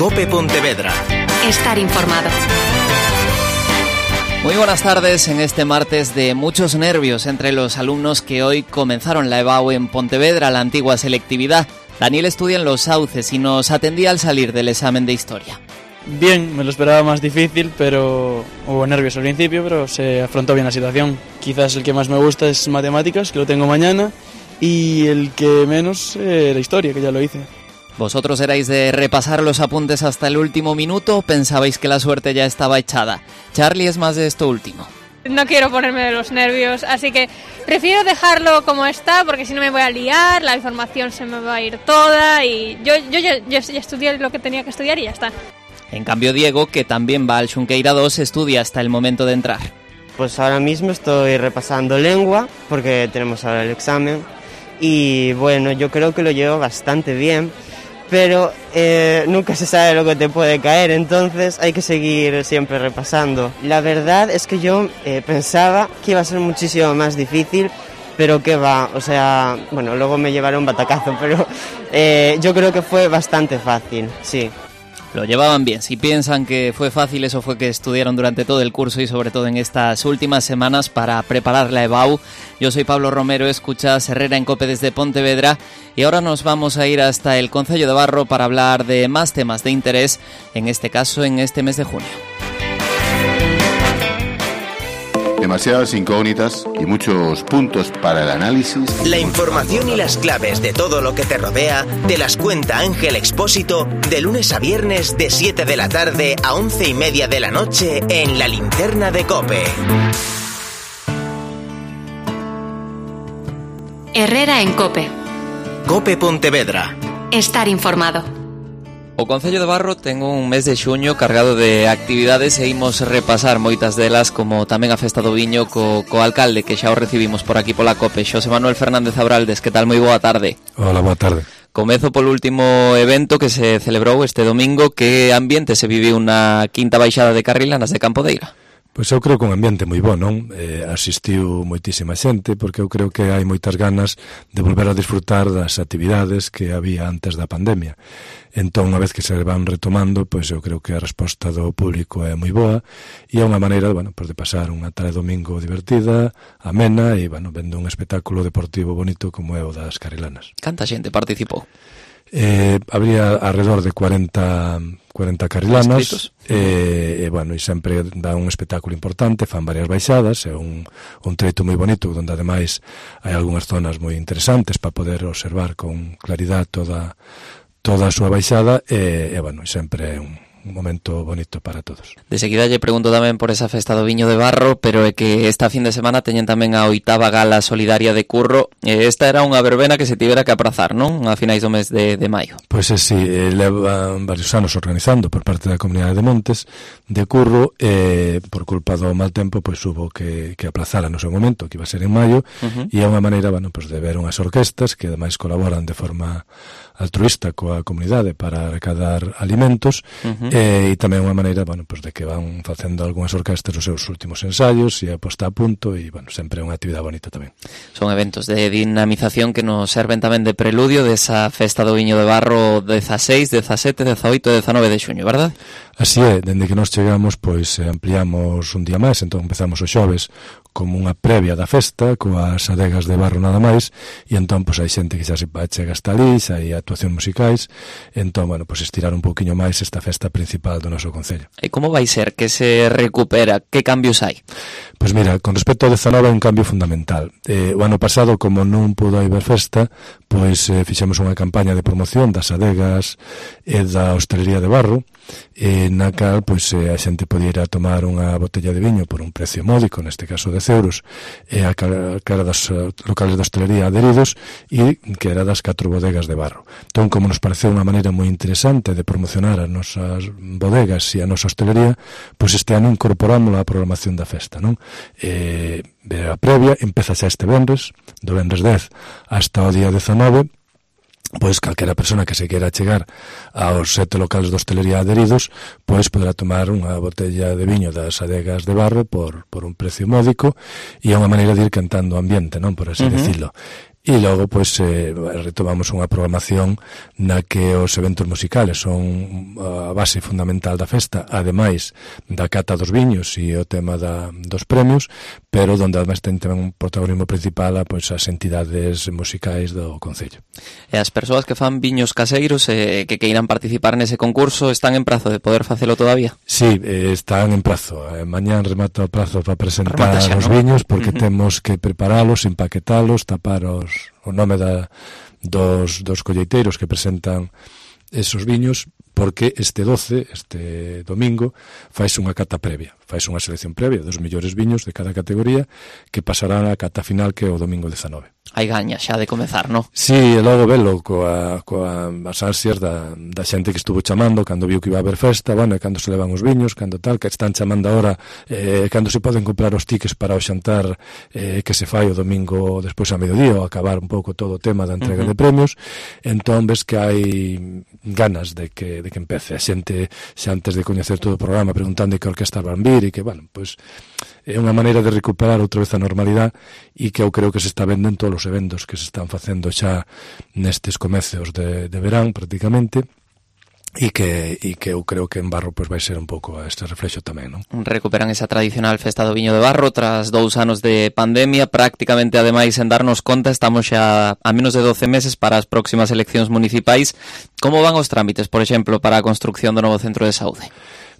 COPE Pontevedra. Estar informado. Muy buenas tardes en este martes de muchos nervios entre los alumnos que hoy comenzaron la EBAU en Pontevedra, la antigua selectividad. Daniel estudia en Los Sauces y nos atendía al salir del examen de historia. Bien, me lo esperaba más difícil, pero hubo nervios al principio, pero se afrontó bien la situación. Quizás el que más me gusta es matemáticas, que lo tengo mañana, y el que menos, la historia, que ya lo hice. ¿Vosotros erais de repasar los apuntes hasta el último minuto o pensabais que la suerte ya estaba echada? Charlie es más de esto último. No quiero ponerme de los nervios, así que prefiero dejarlo como está, porque si no me voy a liar, la información se me va a ir toda y yo ya estudié lo que tenía que estudiar y ya está. En cambio Diego, que también va al Xunqueira 2, estudia hasta el momento de entrar. Pues ahora mismo estoy repasando lengua, porque tenemos ahora el examen, y bueno, yo creo que lo llevo bastante bien, pero nunca se sabe lo que te puede caer, entonces hay que seguir siempre repasando. La verdad es que yo pensaba que iba a ser muchísimo más difícil, pero que va, o sea, bueno, luego me llevaron un batacazo, pero yo creo que fue bastante fácil, sí. Lo llevaban bien. Si piensan que fue fácil, eso fue que estudiaron durante todo el curso y sobre todo en estas últimas semanas para preparar la EBAU. Yo soy Pablo Romero, escuchas Herrera en COPE desde Pontevedra y ahora nos vamos a ir hasta el Concello de Barro para hablar de más temas de interés, en este caso en este mes de junio. Demasiadas incógnitas y muchos puntos para el análisis. La información y las claves de todo lo que te rodea te las cuenta Ángel Expósito de lunes a viernes de 7 de la tarde a 11:30 de la noche en La Linterna de COPE. Herrera en COPE. COPE Pontevedra. Estar informado. O Concello de Barro ten un mes de xuño cargado de actividades e imos repasar moitas delas, como tamén a festa do viño co alcalde, que xa o recibimos por aquí pola COPE, Xosé Manuel Fernández Abraldes. Que tal? Moi boa tarde. Hola, boa tarde. Comezo polo último evento que se celebrou este domingo. Que ambiente se viviu na quinta baixada de Carrilanas de Campodeira? Pois eu creo que un ambiente moi bo, non? Asistiu moitísima xente, porque eu creo que hai moitas ganas de volver a disfrutar das actividades que había antes da pandemia. Entón, unha vez que se van retomando, pois eu creo que a resposta do público é moi boa e é unha maneira, bueno, pues de pasar unha tarde domingo divertida, amena e, bueno, vendo un espectáculo deportivo bonito como é o das Carrilanas. Canta xente participou? Habría alrededor de 40 carrilanas e bueno, e sempre dá un espectáculo importante, fan varias baixadas, é un treito moi bonito onde ademais hai algunhas zonas moi interesantes para poder observar con claridade toda a súa baixada e bueno, sempre é un momento bonito para todos. De seguida lle pregunto tamén por esa festa do viño de Barro, pero é que esta fin de semana teñen tamén a 8ª gala solidaria de Curro. Esta era unha verbena que se tivera que aprazar, non? A finais do mes de maio. Pois sí, levan varios anos organizando por parte da Comunidade de Montes de Curro, por culpa do mal tempo, pois hubo que aplazar no seu momento, que iba a ser en maio, e é unha maneira, bueno, pues de ver unhas orquestas que ademais colaboran de forma altruista coa comunidade para recadar alimentos, e tamén unha maneira, bueno, pues de que van facendo algunhas orquestas os seus últimos ensaios e a posta a punto, e bueno, sempre é unha actividade bonita tamén. Son eventos de dinamización que nos serven tamén de preludio desa festa do viño de Barro 16, 17, 18 e 19 de xuño, verdad? Así é, dende que nos chegamos, pois ampliamos un día máis, entón empezamos os xoves como unha previa da festa, coas adegas de barro nada máis, e entón, pois hai xente que xa se chega hasta ali, xa hai actuacións musicais, entón, bueno, pois estirar un pouquiño máis esta festa principal do noso concello. E como vai ser que se recupera? Que cambios hai? Pois mira, con respecto ao 19 hai un cambio fundamental. O ano pasado, como non pudo haber festa, pois fixemos unha campaña de promoción das adegas e da hostelería de Barro, na cal pois a xente podía ir a tomar unha botella de viño por un precio módico, neste caso 10 euros, a cara das locales de hostelería adheridos, e que era das 4 bodegas de Barro. Entón, como nos pareceu unha maneira moi interesante de promocionar as nosas bodegas e a nosa hostelería, pois este ano incorporamos a programación da festa, non? A previa empeza xa este venres, do venres 10 hasta o día 19, pois calquera persona que se queira chegar aos 7 locales de hostelería adheridos, pois poderá tomar unha botella de viño das adegas de Barro por un precio módico, e é unha maneira de ir cantando o ambiente, non, por así decirlo. E logo, pois, retomamos unha programación na que os eventos musicales son a base fundamental da festa, ademais da cata dos viños e o tema dos premios, pero donde ademais ten tamén un protagonismo principal pois, as entidades musicais do Concello. E as persoas que fan viños caseiros que queiran participar nese concurso están en prazo de poder facelo todavía? Sí, están en prazo. Mañán remata o prazo para presentar os viños, porque temos que preparalos, empaquetalos, tapar o nome dos colleiteiros que presentan esos viños, porque este domingo faise unha cata previa, faise unha selección previa dos mellores viños de cada categoría que pasará a cata final, que é o domingo 19. Hai gaña xa de comezar, non? Sí, e logo velo coas ansias da xente que estuvo chamando cando viu que iba a haber festa, bueno, e cando se levan os viños, cando tal, que están chamando ahora, cando se poden comprar os tickets para o xantar que se fai o domingo despois a mediodía, ou acabar un pouco todo o tema da entrega de premios. Entón ves que hai ganas de que empece a xente xa antes de coñecer todo o programa preguntando que orquesta van vir, e que, bueno, pois é unha maneira de recuperar outra vez a normalidade, e que eu creo que se está vendo en todos os eventos que se están facendo xa nestes comezos de verán prácticamente, e que eu creo que en Barro pois vai ser un pouco este reflexo tamén, non? Recuperan esa tradicional festa do viño de Barro tras 2 anos de pandemia, prácticamente ademais en darnos conta estamos xa a menos de 12 meses para as próximas eleccións municipais. Como van os trámites, por exemplo, para a construcción do novo centro de saúde?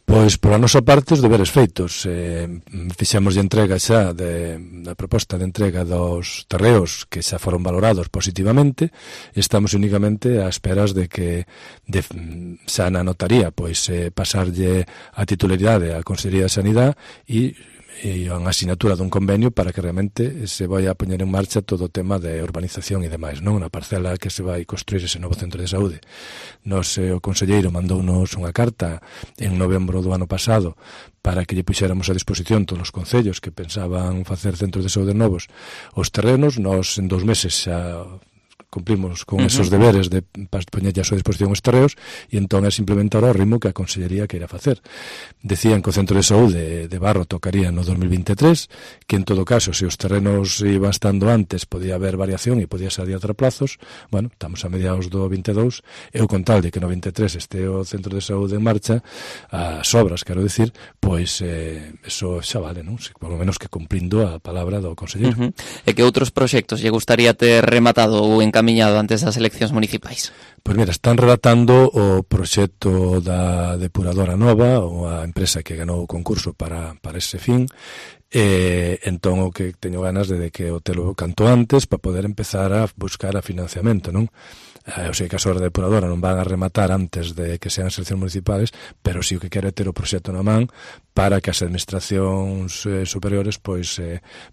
Pois, pola nosa parte, os deberes feitos. Fixemos de entrega xa da proposta de entrega dos terreos que xa foron valorados positivamente. Estamos únicamente a esperas de que xa na notaría pois pasarlle a titularidade á Consellería de Sanidade e unha asignatura dun convenio para que realmente se vai a poñer en marcha todo o tema de urbanización e demais, non? Na parcela que se vai construir ese novo centro de saúde. O conselleiro mandounos unha carta en novembro do ano pasado para que lle puxéramos a disposición todos os concellos que pensaban facer centros de saúde novos os terrenos. Nos en 2 meses xa cumplimos con esos deberes de poñerlle a súa disposición os terreos, e entón é simplemente ahora o ritmo que a Consellería queira facer. Decían que o centro de saúde de Barro tocaría no 2023, que en todo caso, se os terrenos iban estando antes, podía haber variación e podía ser adiantar plazos. Bueno, estamos a mediados do 22, e o con tal de que no 23 este o centro de saúde en marcha, as obras, quero dicir, pois eso xa vale, non? Por lo menos que cumprindo a palabra do conselleiro. E que outros proxectos lle gustaría ter rematado ou encaminhado antes das eleccións municipais? Pois mira, están relatando o proxecto da depuradora nova, ou a empresa que ganou o concurso para ese fin. Entón o que teño ganas de que o telo canto antes para poder empezar a buscar a financiamento, non? Eu sei que as obras da depuradora non van a rematar antes de que sean as eleccións municipales, pero si o que quero é ter o proxecto na man para que as administracións superiores pois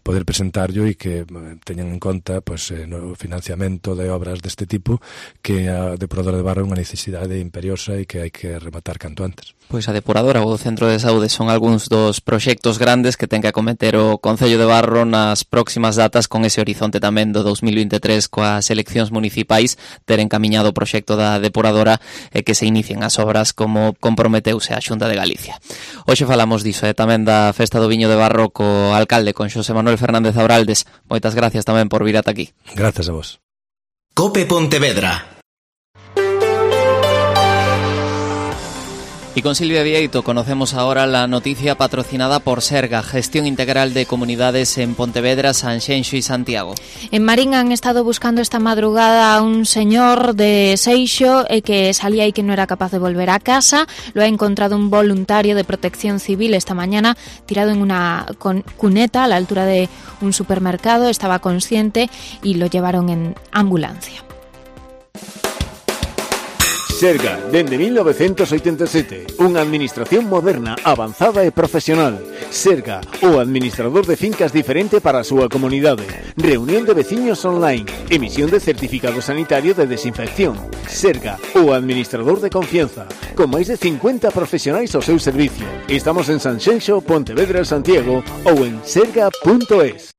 poder presentarlo e que teñan en conta pois no financiamento de obras deste tipo, que a depuradora de Barro é unha necesidade imperiosa e que hai que rematar canto antes. Pois a depuradora ou o centro de saúde son algúns dos proxectos grandes que ten que acometer o Concello de Barro nas próximas datas, con ese horizonte tamén do 2023 coas eleccións municipais, ter encamiñado o proxecto da depuradora e que se inicien as obras como comprometeuse a Xunta de Galicia. Hoxe falamos diso e tamén da Festa do Viño de Barro co alcalde, con Xosé Manuel Fernández Abraldes. Moitas gracias tamén por vir ata aquí. Gracias a vos. Cope Pontevedra. Y con Silvia Vieito conocemos ahora la noticia patrocinada por Serga, Gestión Integral de Comunidades en Pontevedra, Sanxenxo y Santiago. En Marín han estado buscando esta madrugada a un señor de Seixo que salía y que no era capaz de volver a casa. Lo ha encontrado un voluntario de Protección Civil esta mañana tirado en una cuneta a la altura de un supermercado. Estaba consciente y lo llevaron en ambulancia. Serga, dende 1987, unha administración moderna, avanzada e profesional. Serga, o administrador de fincas diferente para a súa comunidade. Reunión de veciños online, emisión de certificado sanitario de desinfección. Serga, o administrador de confianza, con máis de 50 profesionais ao seu servicio. Estamos en Sanxenxo, Pontevedra, Santiago ou en serga.es.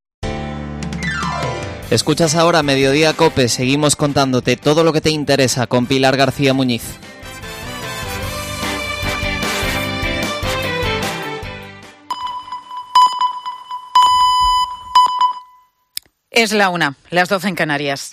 Escuchas ahora Mediodía Cope, seguimos contándote todo lo que te interesa con Pilar García Muñiz. Es la 1, las 12 en Canarias.